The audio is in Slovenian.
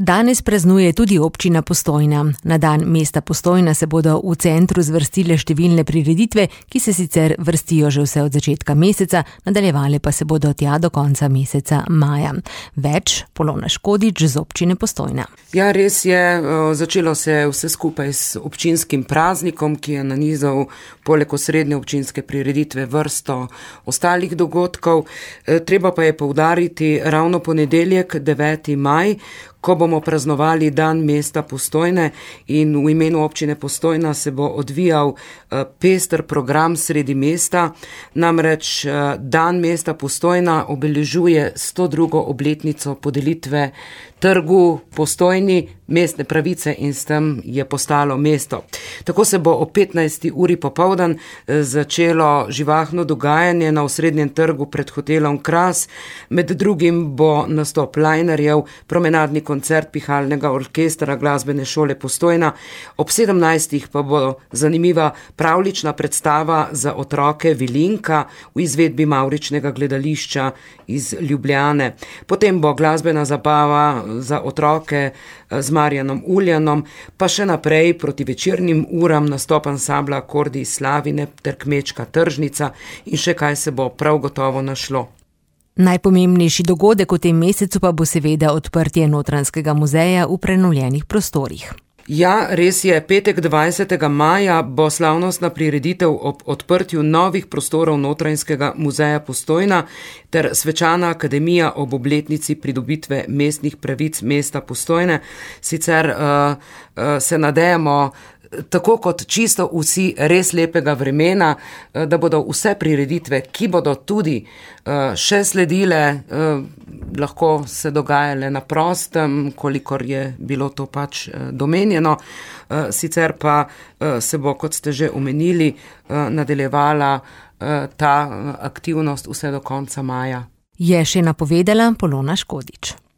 Danes praznuje tudi občina Postojna. Na dan mesta Postojna se bodo v centru zvrstile številne prireditve, ki se sicer vrstijo že vse od začetka meseca, nadaljevale pa se bodo tja do konca meseca maja. Več Polona Škodič z občine Postojna. Ja, res je, začelo se vse skupaj s občinskim praznikom, ki je nanizal poleg osrednje občinske prireditve vrsto ostalih dogodkov. Treba pa je poudariti ravno ponedeljek, 9. maj, ko bomo praznovali dan mesta Postojne, in v imenu občine Postojna se bo odvijal pester program sredi mesta. Namreč dan mesta Postojna obeležuje 102. obletnico podelitve trgu Postojni mestne pravice in s tem je postalo mesto. Tako se bo o 15. uri popoldan začelo živahno dogajanje na osrednjem trgu pred hotelom Kras. Med drugim bo nastop linerjev, promenadni koncert pihalnega orkestra Glasbene šole Postojna. Ob 17. pa bo zanimiva pravljična predstava za otroke Vilinka v izvedbi Mavričnega gledališča iz Ljubljane. Potem bo glasbena zabava za otroke z Marjanom Uljanom, pa še naprej proti večernim uram nastop ansambla Akordi iz Slavine ter Kmečka tržnica in še kaj se bo prav gotovo našlo. Najpomembnejši dogodek v tem mesecu pa bo seveda odprtje Notranjskega muzeja v prenovljenih prostorih. Ja, res je, petek 20. maja bo slavnostna prireditev ob odprtju novih prostorov Notranjskega muzeja Postojna ter svečana akademija ob obletnici pridobitve mestnih pravic mesta Postojne. Sicer se nadejamo, tako kot čisto vsi, res lepega vremena, da bodo vse prireditve, ki bodo tudi še sledile, lahko se dogajale na prostem, kolikor je bilo to pač domenjeno. Sicer pa se bo, kot ste že omenili, nadaljevala ta aktivnost vse do konca maja. Je še napovedala Polona Škodič.